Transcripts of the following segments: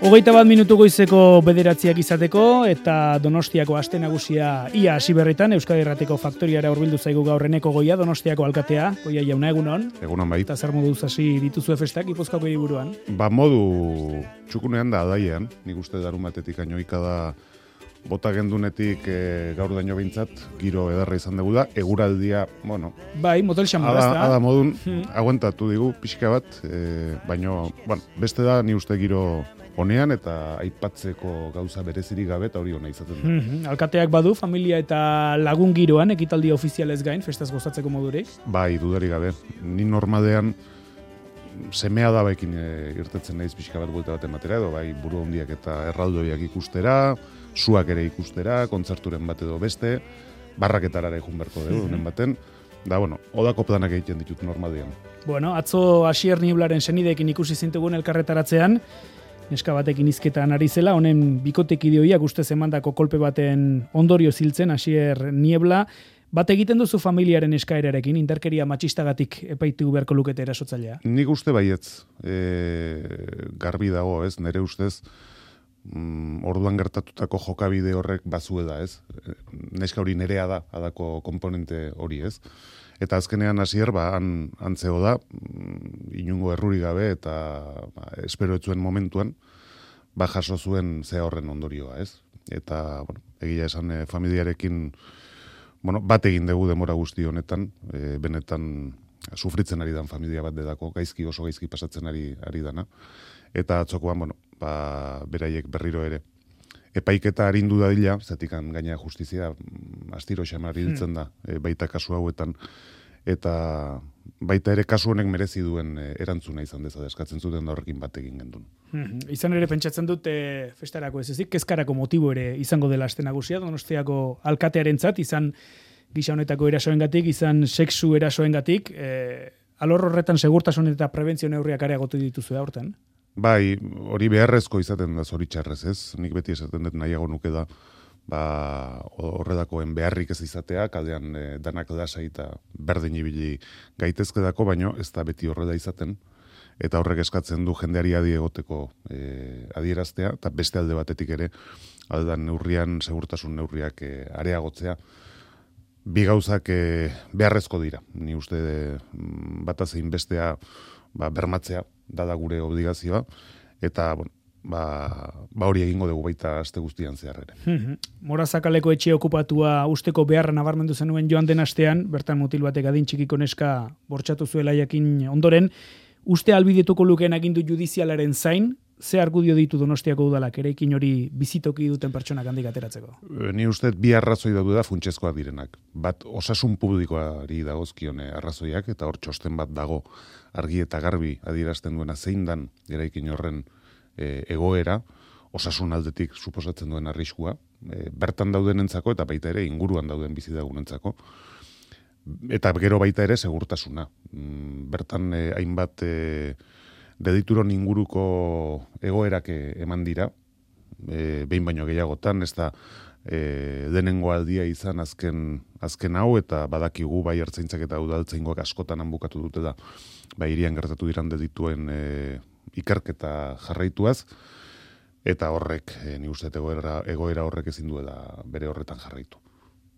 21 minutu goizeko 9 izateko eta Donostiako aste nagusia ia hasi berritan Euskadi Irratiko faktoriara hurbildu zaigu gaur Eneko Goia, Donostiako alkatea. Goia jauna, egunon. Egunon bai. Eta zer moduz hasi dituzue festak Gipuzkoako hiriburuan? Modu txukunean da adaian, nik uste darumatetik ainoika da bota gendunetik gaur daño behintzat, giro edarra izan dugu da, eguraldia, bueno... Bai, motel xamar, ez da? Ada modun, aguantatu digu, pixka bat, baino, bueno, beste da, ni uste giro honean eta aipatzeko gauza berezirik gabe eta hori hona izaten da. Alkateak badu, familia eta lagun giroan, ekitaldi ofizialez gain, festaz gozatzeko modurik? Bai, dudarik gabe. Ni normalean semea dabekin irtetzen naiz pixka bat buelta bat ematera, edo bai buru handiak eta erraldoiak ikustera, suak ere ikustera, kontzerturen bat edo beste, barraketarara egun berko dugu, honen baten. Da, bueno, odako planak egiten ditut normalean. Bueno, atzo Asier Niblaren senideekin ikusi zintugun elkarretaratzean, neska batekin hizketan ari zela, honen bikotekidioiak ustez emandako kolpe baten ondorio ziltzen, Asier Niebla, bat egiten duzu familiaren eskaerarekin, indarkeria matxistagatik epaitu beharko lukete erasotzailea? Nik uste baietz, garbi dago, ez, nire ustez, orduan gertatutako jokabide horrek bazue da, ez? Neska hori nerea da, adako komponente hori, ez? Eta azkenean Asier, antzeo da, inungo erruri gabe eta espero etzuen momentuan, jaso zuen zea horren ondorioa, ez? Eta, bueno, egia esan familiarekin, bueno, bat egin dugu demora guzti honetan, benetan sufritzen ari dan familia bat dedako, oso gaizki pasatzen ari dana. Eta atzokoan, bueno, beraiek berriro ere. Epaiketa arindu dadila, zatikan gaina justizia astiro xamar hiltzen da, baita kasu hauetan, eta baita ere kasu honek merezi duen erantzuna izan dezada eskatzen zuten da horrekin bat egin gendun. Izan ere pentsatzen dut festarako ez ezik, kezkarako motibo ere izango dela aste nagusia, Donostiako alkatearentzat, izan gisa honetako erasoengatik, izan sexu erasoengatik, alor horretan segurtasun eta prebentzio neurriak areagotu dituzu aurten? Bai, hori beharrezko izaten da zoritxarrez, ez? Nik beti esaten dut nahiago nuke da, horredakoen beharrik ez izatea, kaldean danak lasai eta berdin ibili gaitezkedako, baino ez da beti horrela izaten, eta horrek eskatzen du jendeari adi egoteko adieraztea, eta beste alde batetik ere, aldan neurrian, segurtasun neurriak areagotzea, bi gauzak beharrezko dira. Ni uste batazein bestea bermatzea, dada gure obligazioa, eta, bueno, hori egingo dugu baita aste guztian zehar ere. Morazakaleko etxe okupatua usteko beharra nabarmendu zenuen joan den astean, bertan mutil batek adin txikiko neska bortxatu zuela jakin ondoren, uste albidetuko lukeen agindu judizialaren zain, ze argudio ditu Donostiako udalak eraikin hori bizitoki duten pertsonak handik ateratzeko? Ni uste bi arrazoi daude da funtsezkoak direnak. Bat, osasun publikoari dagozkion arrazoiak, eta hor txosten bat dago argi eta garbi adierazten duena zein dan eraikin horren egoera, osasun aldetik suposatzen duen arriskua, bertan daudenentzako eta baita ere inguruan dauden bizilagunentzako, eta gero baita ere segurtasuna. Bertan hainbat dedituron inguruko egoerak eman dira, behin baino gehiagotan, ez da denengo aldia izan azken hau, eta badakigu bai ertzaintzak eta udaltzaingoak askotan hanbukatu dutela, bai irian gertatu diran dedituen ikerketa jarraituaz, eta horrek, ni uste egoera horrek ezin duela bere horretan jarraitu.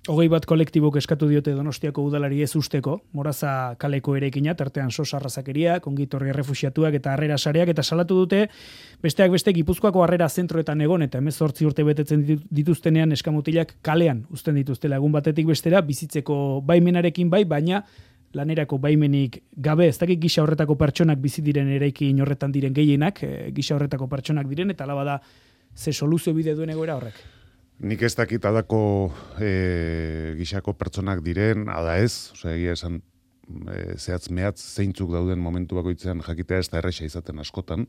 21 kolektibok eskatu diote Donostiako udalari ez usteko, Moraza kaleko ereikina, tartean sos arrazakeria, kongitorri errefuxiatuak eta harrera sareak, eta salatu dute besteak beste Gipuzkoako harrera zentroetan egon, eta 18 urte betetzen dituztenean eskamutilak kalean uzten dituztela egun batetik bestera, bizitzeko baimenarekin bai, baina lanerako baimenik gabe, ez dakit gisa horretako pertsonak bizi diren eraikin horretan diren gehienak, gisa horretako pertsonak diren, eta alaba da ze soluzio bide duen egoera horrek. Nik ez dakit adako gisako pertsonak diren, ada ez, egia esan zehatz mehatz zeintzuk dauden momentu bakoitzean jakitea ez da erresa izaten askotan,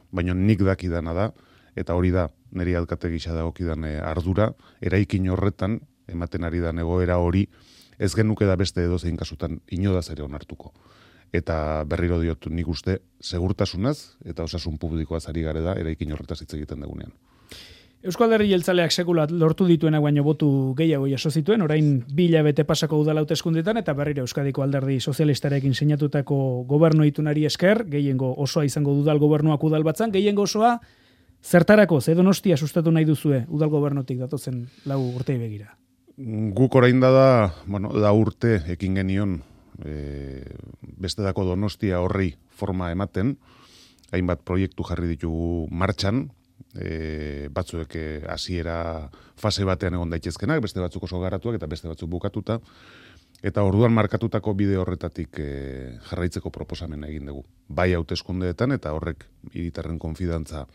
baina nik dakidana da, eta hori da niri alkate gisa dagokidan ardura, eraikin horretan ematen ari da egoera hori, ez genuke da beste edozein kasutan inodaz ere onartuko. Eta berriro diot nik uste segurtasunaz eta osasun publikoaz ari gare da eraikin horretaz hitz egiten dugunean. Eusko Alderdi Jeltzaleak sekula lortu dituenak baino botu gehiago jaso zituen, orain 2 hilabete pasako udal hauteskundeetan eta berriro Euskadiko Alderdi Sozialistarekin sinatutako gobernu itunari esker, gehiengo osoa izango dudal gobernuak udal batzan, gehiengo osoa Zertarako, ze Donostia sustatu nahi duzue udal gobernutik datozen 4 urtei begira? Guk orain da, bueno, 4 urte ekin genion bestedako Donostia horri forma ematen, hainbat proiektu jarri ditugu martxan, batzuek hasiera fase batean egon daitezkenak, beste batzuk oso garatuak eta beste batzuk bukatuta, eta orduan markatutako bide horretatik jarraitzeko proposamena egin dugu. Bai hauteskundeetan eta horrek hiritarren konfidantza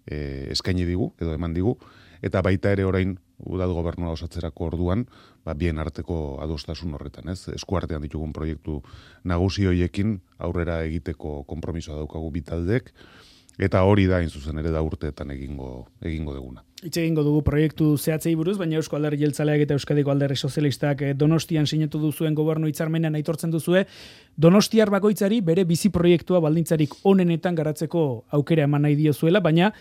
eskaini digu, edo eman digu, eta baita ere orain udal gobernua osatzerako orduan, bien arteko adostasun horretan, ez? Eskuartean ditugun proiektu nagusi hoiekin aurrera egiteko konpromisoa daukagu bitaldek, eta hori da hain zuzen ere 4 urteetan egingo duguna. Hitz egingo dugu proiektu zehatzei buruz, baina Eusko Alderdi Jeltzaleak eta Euskadiko Alderdi Sozialistak Donostian sinatu duzuen gobernu hitzarmenean aitortzen duzue, Donostiar bakoitzari bere bizi proiektua baldintzarik onenetan garatzeko aukera eman nahi diozuela, baina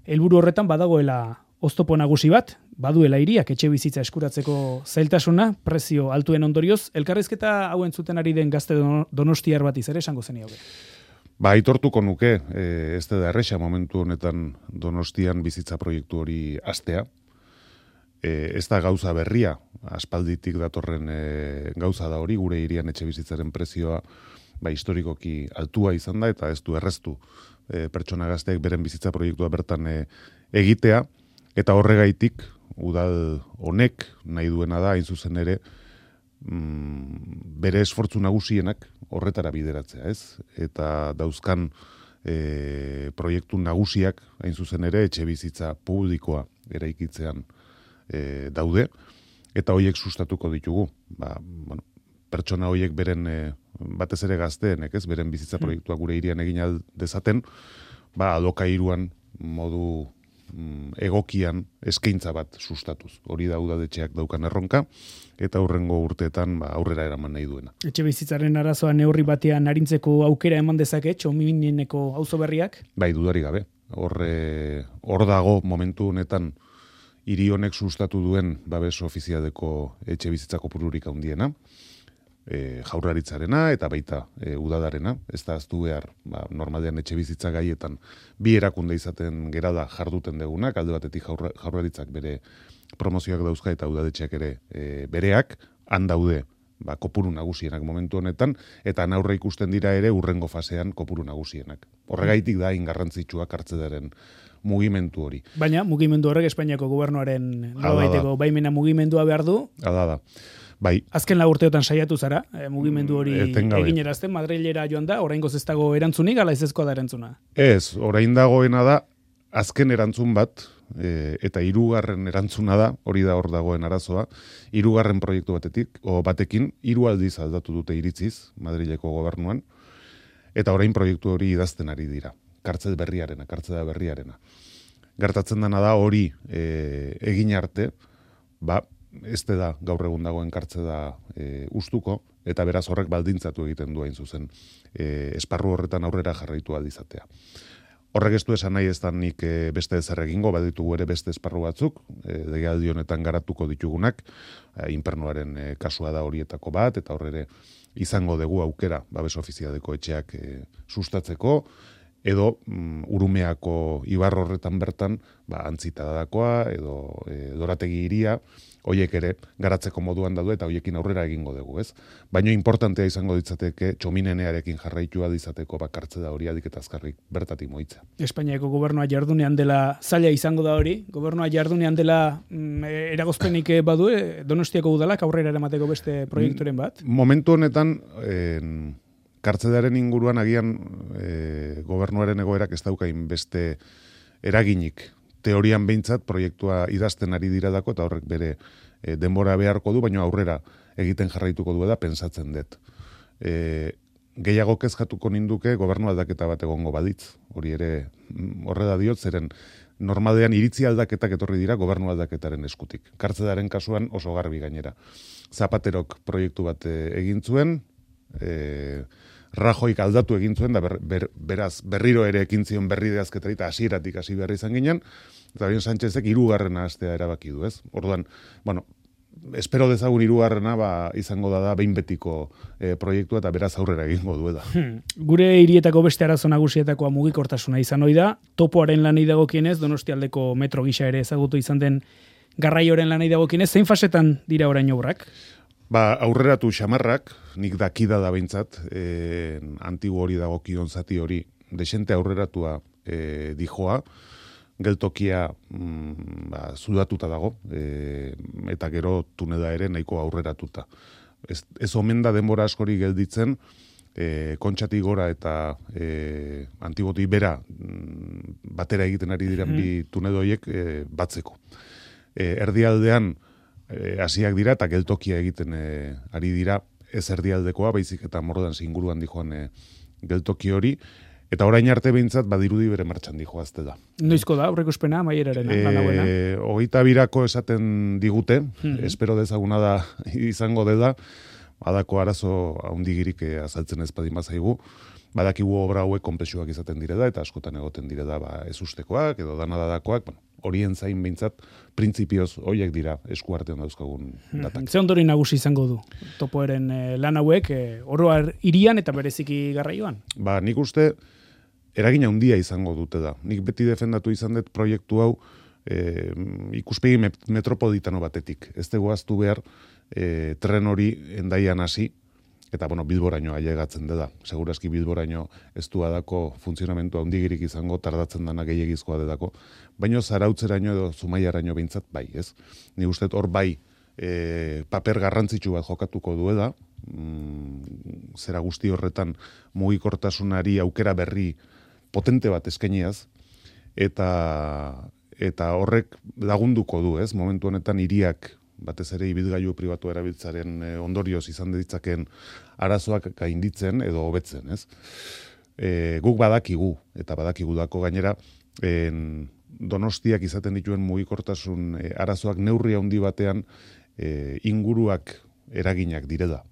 helburu horretan badagoela oztopo nagusi bat, baduela hiriak etxe bizitza eskuratzeko zailtasuna, prezio altuen ondorioz, elkarrizketa hauen zuten ari den gazte Donostiar bat ere esango zen hauge. Aitortuko nuke, ez da erresa momentu honetan Donostian bizitza proiektu hori hastea. Ez da gauza berria, aspalditik datorren gauza da hori, gure hirian etxe bizitzaren prezioa historikoki altua izan da, eta ez du erreztu pertsona gazteek beren bizitza proiektua bertan egitea, eta horregaitik udal honek nahi duena da, hain zuzen ere, bere esfortzu nagusienak horretara bideratzea, ez? Eta dauzkan proiektu nagusiak, hain zuzen ere, etxe bizitza publikoa eraikitzean daude, eta hoiek sustatuko ditugu. Pertsona hoiek beren, batez ere gazteenek, ez? Beren bizitza proiektua gure hirian egin dezaten, alokairuan modu egokian eskaintza bat sustatuz. Hori da udadetxeak daukan erronka, eta hurrengo urteetan aurrera eraman nahi duena. Etxe bizitzaren arazoa neurri batean arintzeko aukera eman dezake, Txomineneko auzo berriak? Dudarik gabe. Hor dago momentu honetan hiri honek sustatu duen babes ofizialeko etxe bizitzako kopururik handiena, jaurlaritzarena eta baita udadarena, ez da aztu behar normalean etxe bizitza gaietan bi erakunde izaten gerada jarduten degunak, alde batetik jaurlaritzak bere promozioak dauzka eta udadetxeak ere bereak, han daude kopuru nagusienak momentu honetan, eta aurre ikusten dira ere urrengo fasean kopuru nagusienak. Horregaitik da ingarrantzitsuak hartzedaren mugimendu hori. Baina mugimendu horrek Espainiako gobernuaren nolabaiteko baimena mugimendua behar du? Da. Azken 4 urteotan saiatu zara, mugimendu hori eginerazten, Madrilera joan da, oraingoz ez dago erantzunik, ala ezezkoa da erantzuna? Ez, orain dagoena da, azken erantzun bat, eta 3. erantzuna da, hori da hor dagoen arazoa, 3. proiektu batekin, 3 aldiz aldatu dute iritziz, Madrileko gobernuan, eta orain proiektu hori idazten ari dira, kartzela berriarena. Gertatzen dena da hori egin arte, ez da gaur egun dagoen kartzela ustuko, eta beraz horrek baldintzatu egiten du hain zuzen esparru horretan aurrera jarraitu aldizatea. Horrek ez du esan nahi ez da nik beste ezer egingo, baditugu ere beste esparru batzuk, legealdi honetan garatuko ditugunak, inpernuaren kasua da horietako bat, eta horre izango dugu aukera babes ofizialeko etxeak sustatzeko, edo Urumeako ibar horretan bertan, Antzita dadakoa, edo Dorategi hiria, hoiek ere garatzeko moduan daude eta hoiekin aurrera egingo dugu, ez? Baina importantea izango ditzateke Txominenearekin jarraitua dizateko kartzela hori adik eta azkarrik bertatik moitza. Espainiako gobernua jardunean dela zaila izango da hori, gobernua jardunean dela eragozpenik badu, Donostiako udalak aurrera eramateko beste proiekturen bat? Momentu honetan, kartzelaren inguruan agian gobernuaren egoerak ez daukain beste eraginik. Teorian behintzat proiektua idazten ari diradako eta horrek bere denbora beharko du, baina aurrera egiten jarraituko du da pentsatzen dut. Gehiago kezkatuko ninduke gobernu aldaketa bat egongo baditz. Hori ere horrela diot, zeren normalean iritzi aldaketak etorri dira gobernu aldaketaren eskutik. Kartzelaren kasuan oso garbi gainera. Zapaterok proiektu bat egin zuen, Rajoik aldatu egin zuen, da beraz berriro ere ekin zion berrideazketari eta hasieratik hasi behar izan ginen, eta bien Sánchezek 3. hastea erabaki du, ez? Orduan, espero dezagun hirugarrena izango da behin betiko proiektua eta beraz aurrera egingo duela. Gure hirietako beste arazo nagusietakoa mugikortasuna izan ohi da. Topoaren lanei dagokienez, Donostialdeko metro gisa ere ezagutu izan den garraioaren lanei dagokienez, zein fasetan dira orain obrak? Aurreratu xamarrak, nik dakida da behintzat, antigu hori dagokion zati hori, desente aurreratua dijoa, geltokia zudatuta dago, eta gero tunela ere nahiko aurreratuta. Ez omen da denbora askori gelditzen, kontxatik gora eta antiboti bera batera egiten ari diren bi tunedoiek batzeko. Erdialdean hasiak dira eta geltokia egiten ari dira, ez erdialdekoa, baizik eta Mordan inguruan dijoan geltoki hori, eta orain arte behintzat badirudi bere martxan dijoazte da. Noizko da, aurreikuspena, maierarena, lanauena? 22 esaten digute, espero dezaguna da izango dela, badako arazo haundigirik azaltzen ez badin bazaigu, badakigu obra hauek konplexuak izaten direla, eta askotan egoten direla ez ustekoak, edo danadadakoak, horien zain behintzat, printzipioz horiek dira eskuartean dauzkagun datak. Ze ondori nagusi izango du Topoeren lan hauek, oroar hirian eta bereziki garraioan? Nik uste eragina handia izango dute da. Nik beti defendatu izan dut proiektu hau ikuspegi metropolitano batetik. Ez tegoaztu behar tren hori Hendaian hasi, eta Bilboraino ailegatzen dela. Segurazki Bilboraino ez du adako funtzionamentu handigirik izango, tardatzen dana gehiagizkoa delako, baino Zarautzeraino edo Zumaiaraino behintzat bai, ez? Ni uste hor bai paper garrantzitsu bat jokatuko duela, zera guzti horretan mugikortasunari aukera berri potente bat eskainiaz, eta horrek lagunduko du, ez? Momentu honetan hiriak batez ere ibilgailu pribatu erabiltzaren ondorioz izan ditzaken arazoak gainditzen edo hobetzen, ez? Guk badakigu, eta badakigu dako gainera, Donostiak izaten dituen mugikortasun arazoak neurri handi batean inguruak eraginak direla.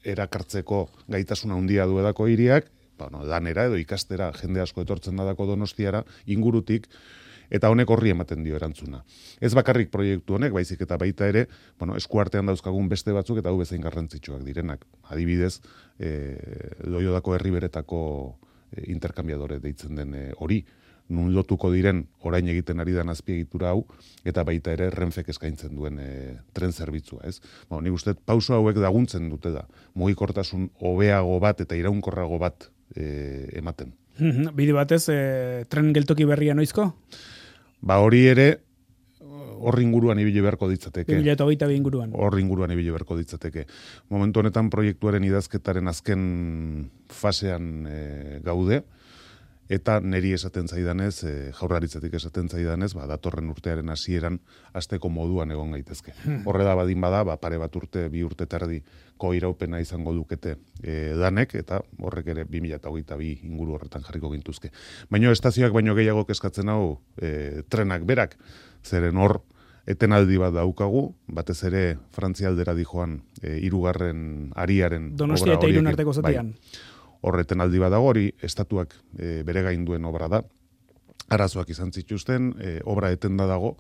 Erakartzeko gaitasuna handia duedako hiriak, lanera edo ikastera jende asko etortzen dadako Donostiara, ingurutik, eta honek horri ematen dio erantzuna. Ez bakarrik proiektu honek, baizik eta baita ere, eskuartean dauzkagun beste batzuk eta hau bezain garrantzitsuak direnak. Adibidez, Loiodako herriberetako interkambiadore deitzen den hori, nun lotuko diren orain egiten ari den azpiegitura hau, eta baita ere Renfek eskaintzen duen tren zerbitzua, ez? Nik uste pauso hauek laguntzen dute da, mugikortasun hobeago bat eta iraunkorrago bat ematen. Bide batez, tren geltoki berria noizko? Hori ere, hor inguruan ibili beharko ditzateke. 2022 inguruan. Hor inguruan ibili beharko ditzateke. Momentu honetan proiektuaren idazketaren azken fasean gaude, eta neri esaten zaidanez, Jaurlaritzatik esaten zaidanez, datorren urtearen hasieran hasteko moduan egon gaitezke. Horre da badin bada, pare bat urte, 2 urte tardiko iraupena izango dukete danek, eta horrek ere 2022 inguru horretan jarriko gintuzke. Baina estazioak baino gehiago kezkatzen hau trenak berak, zeren hor etenaldi bat daukagu, batez ere Frantzialdera dijoan 3. ariaren Donostia eta Irun arteko zatian. Horreten aldi badago, hori estatuak bere gain duen obra da. Arazoak izan zituzten, obra etenda dago,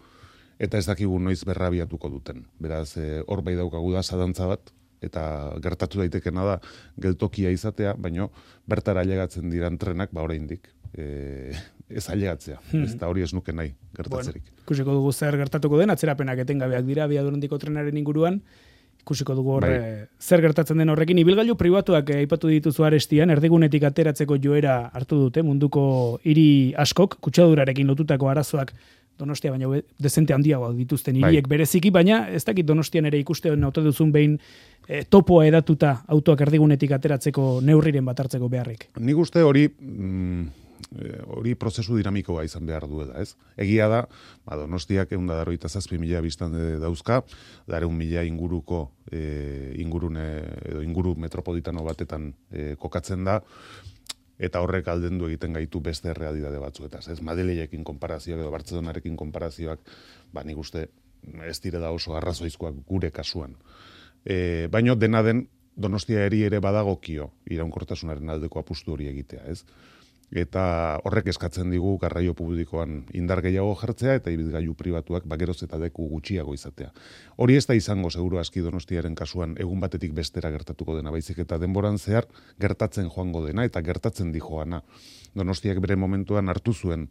eta ez dakigu noiz berrabiatuko duten. Beraz, hor bai daukagu da zadantza bat, eta gertatu daitekena da geltokia izatea, baino bertara ailegatzen diran trenak, oraindik ez ailegatzea. Ez da hori ez nuke nahi gertatzerik. Ikusiko dugu zer gertatuko den, atzerapenak etengabeak dira abiadurandiko trenaren inguruan, ikusiko dugu zer gertatzen den horrekin. Ibilgailu pribatuak aipatu dituzu Arestian, erdigunetik ateratzeko joera hartu dute, munduko hiri askok, kutsadurarekin lotutako arazoak Donostia baina dezente handiagoak dituzten hiriek bereziki, baina ez dakit Donostian ere ikusten ote duzun behin topoa edatuta autoak erdigunetik ateratzeko neurriren bat hartzeko beharrik. Nik uste hori prozesu dinamikoa izan behar duela, ez? Egia da, Donostiak 187.000 biztan dauzka, 100.000 inguruko inguru metropolitano batetan kokatzen da, eta horrek aldendu egiten gaitu beste realitate batzuetaz, ez? Madrilekin konparazioak edo Bartzelonarekin konparazioak, nik uste ez direla oso arrazoizkoak gure kasuan. Baino dena den Donostia eri ere badagokio iraunkortasunaren aldeko apustu hori egitea, ez? eta horrek eskatzen digu garraio publikoan indar gehiago jartzea eta ibilgailu pribatuak geroz eta leku gutxiago izatea. Hori ez da izango seguru aski Donostiaren kasuan egun batetik bestera gertatuko dena, baizik eta denboran zehar gertatzen joango dena eta gertatzen dijoana. Donostiak bere momentuan hartu zuen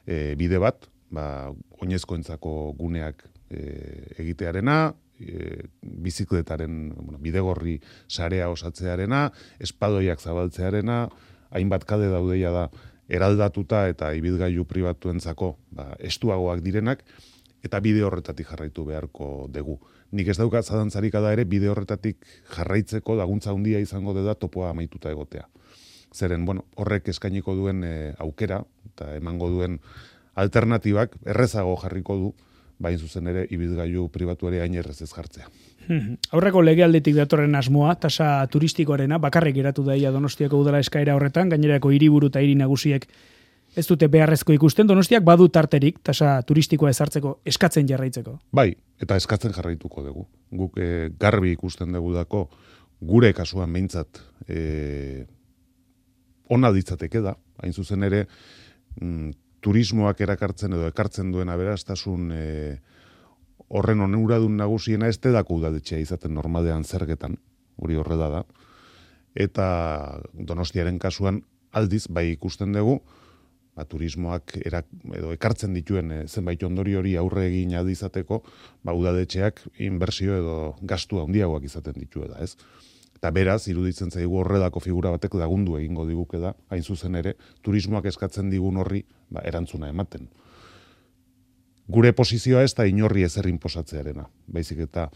bide bat, oinezkoentzako guneak egitearena, bizikletaren bidegorri sarea osatzearena, espadoiak zabaltzearena, hainbat kale daudeia da eraldatuta eta ibilgailu pribatuentzako estuagoak direnak, eta bide horretatik jarraitu beharko dugu. Nik ez daukat zalantzarik da ere bide horretatik jarraitzeko laguntza handia izango da topoa amaituta egotea. Zeren, horrek eskainiko duen aukera eta emango duen alternatibak errezago jarriko du, bain zuzen ere ibilgailu pribatu ere hain errez ez jartzea. Aurreko legealdetik datorren asmoa, tasa turistikoarena, bakarrik geratu daia Donostiako udala eskaera horretan, gainerako hiriburu eta hiri nagusiek ez dute beharrezko ikusten, Donostiak badu tarterik tasa turistikoa ezartzeko eskatzen jarraitzeko. Bai, eta eskatzen jarraituko dugu. Guk garbi ikusten dugu dako, gure kasuan behintzat ona ditzateke da, hain zuzen ere turismoak erakartzen edo ekartzen duen aberastasun horren onuradun nagusiena ez dako udaletxea izaten normalean zergetan, hori horrela da, eta Donostiaren kasuan aldiz bai ikusten dugu, turismoak edo ekartzen dituen zenbait ondorio hori aurre egin adizateko, udaletxeak inbertsio edo gastu handiagoak izaten dituela, ez? Eta beraz, iruditzen zaigu horrelako figura batek lagundu egingo diguke da, hain zuzen ere, turismoak eskatzen digun horri erantzuna ematen. Gure posizioa ez da inorri ezer inposatzearena, baizik eta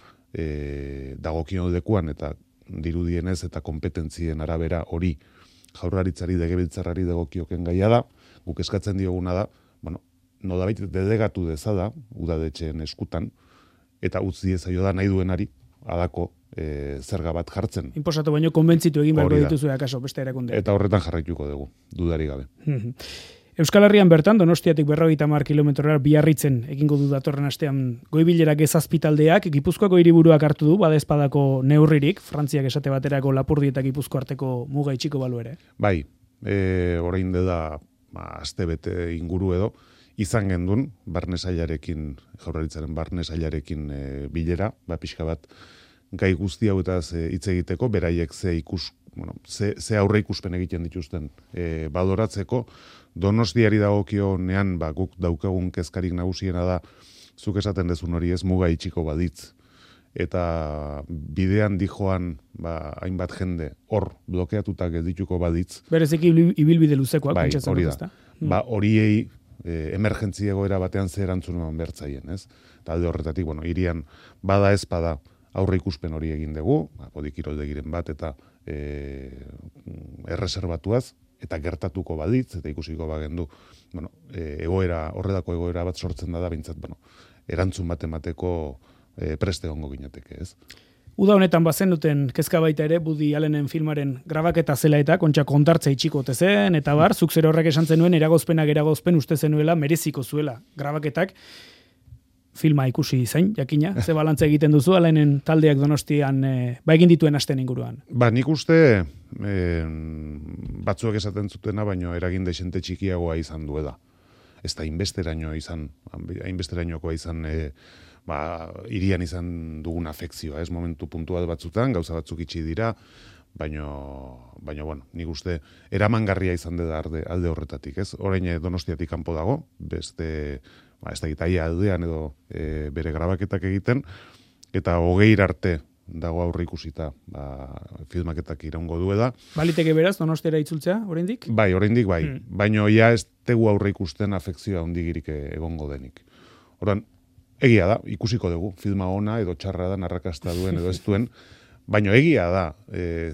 dagokion dekuan eta dirudienez eta kompetentzien arabera hori Jaurlaritzari legebiltzarrari dagokioken gaia da, guk eskatzen dioguna da, nolabait delegatu dezada udaletxeen eskutan eta utzi ezaio da nahi duenari halako zerga bat jartzen. Inposatu baino konbentzitu egin beharko dituzu akaso beste erakunde. Eta horretan jarraituko dugu, dudari gabe. Euskal Herrian bertan, Donostiatik 50 kilometrora Biarritzen egingo du datorren astean goibilerak ezazpitaldeak, Gipuzkoako hiriburuak hartu du, badezpadako neurririk, Frantziak esate baterako Lapurdi eta Gipuzko arteko muga itxiko balu ere. Bai, orain dela astebete inguru edo, izan gendun, barnesailarekin, Jaurlaritzaren barnesailarekin bilera, pixka bat, gai guzti hauetaz hitz egiteko, beraiek ze aurre ikuspen egiten dituzten baloratzeko, Donostiari dagokionean guk daukagun kezkarik nagusiena da, zuk esaten dezun hori ez muga itxiko baditz. Eta bidean dijoan hainbat jende hor blokeatuta geldituko baditz. Bereziki ibilbide luzekoak. Bai, hori da. Horiei emergentzi egoera batean zer erantzun eman bertzaien, ez? Talde horretatik, hirian bada ez bada aurre ikuspen hori egin dugu, podikiroldegiren bat eta erreserbatuaz, eta gertatuko baditz, eta ikusiko bagendu, horredako egoera bat sortzen da bintzat, erantzun bat emateko preste gongo ginateke, ez? Uda honetan bazenuten kezka baita ere, Woody Allenen filmaren grabaketa zela eta kontxa kontartza itxiko zen, eta zuk zer horrek esan zenuen, eragozpen uste zenuela, mereziko zuela grabaketak, filma ikusi zain, jakina, ze balantza egiten duzu, Allenen taldeak Donostian egin dituen asten inguruan. Nik uste batzuek esaten zutena, baino eragin desente txikiagoa izan duela. Ez da hainbesterainokoa izan irian izan dugun afekzioa, ez momentu puntual batzutan, gauza batzuk itxi dira, baino nik uste eramangarria izan dela alde horretatik, ez? Orain Donostiatik kanpo dago, beste ez da gitaia aldean edo bere grabaketak egiten, eta 20 arte dago aurre ikusita filmaketak iraungo duela. Baliteke beraz, Donostiara itzultzea, oraindik? Bai, oraindik bai. Baino ja ez tegu aurre ikusten afekzioa handigirik egongo denik. Orduan, egia da, ikusiko dugu, filma ona edo txarra da, arrakasta duen edo ez duen, baino egia da,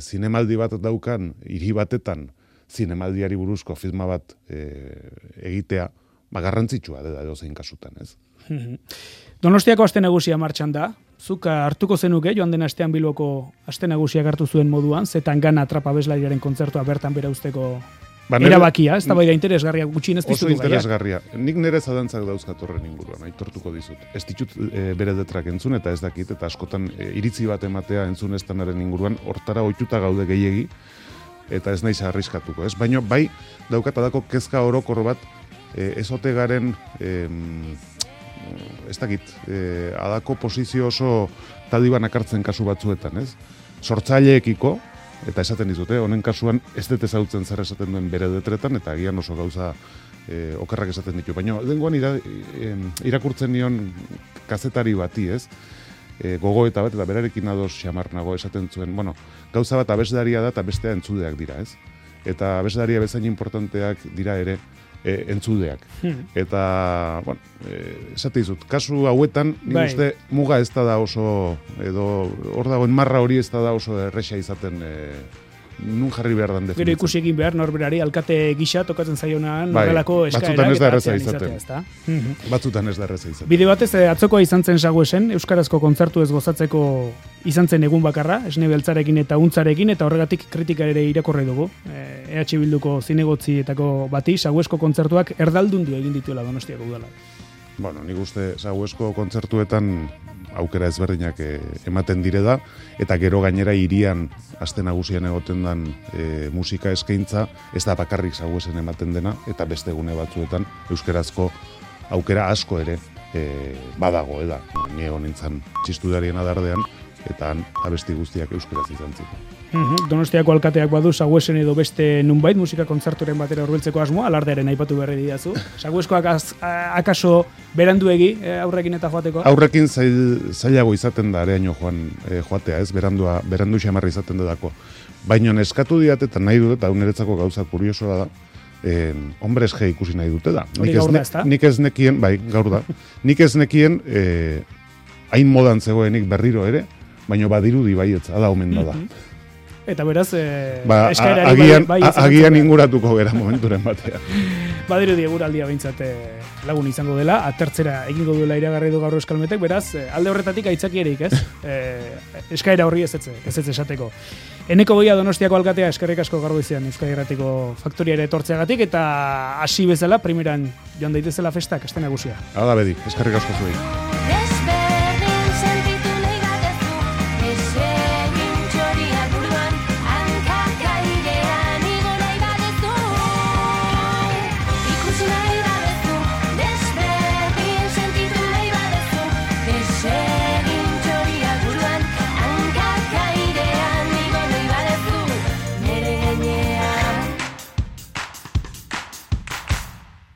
zinemaldi bat daukan, hiri batetan, zinemaldiari buruzko filma bat egitea, garrantzitsua dela edozein kasutan, ez? Donostiako aste nagusia martxan da, zuk hartuko zenuke, joan den astean Bilboko aste nagusiak hartu zuen moduan, zetan gana atrapa abeslariaren kontzertua bertan bera usteko erabakia, ez da bai da interesgarria gutxinez dizutu. Oso interesgarria. Nik nire zadantzak dauzkat horren inguruan, aitortuko dizut. Ez ditut bere detrak entzun eta ez dakit, eta askotan iritzi bat ematea entzun estanaren inguruan, hortara ohituta gaude gehiegi, eta ez naiz arriskatuko, ez? Baina bai daukatadako kezka orokor bat ezote garen ez dakit, adako posizio oso taliban akartzen kasu batzuetan, ez? Sortzaileekiko, eta esaten dizute, honen kasuan ez dut ezautzen zer esaten duen bere detretan, eta agian oso gauza okerrak esaten ditu. Baina, dengoan irakurtzen nion kazetari bati, ez? Gogoeta bat, eta berarekin ados xamar nago esaten zuen, bueno, gauza bat abeslaria da eta bestea entzudeak dira, ez? Eta abeslaria bezain importanteak dira ere entzudeak. Eta, bueno, esate dizut, kasu hauetan, nik uste muga ez da oso, edo hor dagoen marra hori ez da oso erresa izaten nun jarri behar dan definitzen. Gero ikusi egin behar norberari alkate gisa tokatzen zaionan norrelako eskaerak eta atzean izatea, ezta? Batzutan ez da erreza izatea. Bide batez, atzokoa izan zen Saguesen, euskarazko kontzertu ez gozatzeko izan zen egun bakarra, esne beltzarekin eta untzarekin, eta horregatik kritika ere irakorri dugu. EH Bilduko zinegotzietako bati, Saguesko kontzertuak erdaldundu egin dituela Donostiako udala. Bueno, nik uste Saguesko kontzertuetan aukera ezberdinak ematen dire da, eta gero gainera hirian aste nagusian egoten dan musika eskaintza, ez da bakarrik Saguesen ematen dena, eta beste gune batzuetan euskerazko aukera asko ere badago, eda. Ni egon nintzen txistudarien adardean, eta abesti guztiak euskeraz izan ziren. Donostiako alkateak badu Saguesen edo beste nunbait musika kontzerturen batera hurbiltzeko asmoa, alardearen aipatu berri didazu. Sagueskoak akaso beranduegi aurrekin eta joateko? Aurrekin zailago izaten da areaino joatea, ez? Berandu xamarra izaten dudako. Baina eskatu diat eta nahi dut, eta niretzako gauza kuriosoa da, hombres G ikusi nahi dute da. Nik ez nekien, bai, gaur da, nik ez nekien hain modan zegoenik berriro ere, baina badirudi baietza, da omen da. Eta beraz, agian inguratuko gera momenturen batean. Badirudi eguraldia behintzat lagun izango dela, atertzera egingo duela iragarri du gaur Euskalmetek, beraz, alde horretatik aitzakierik, ez? Eskaera horri ez esateko. Eneko Goia Donostiako alkatea eskerrik asko gaur goizean Euskadi Irratiko faktoriara etortzeagatik, eta hasi bezala primeran joan daitezela festak, aste nagusia. Hala bedi, eskerrik asko zuei.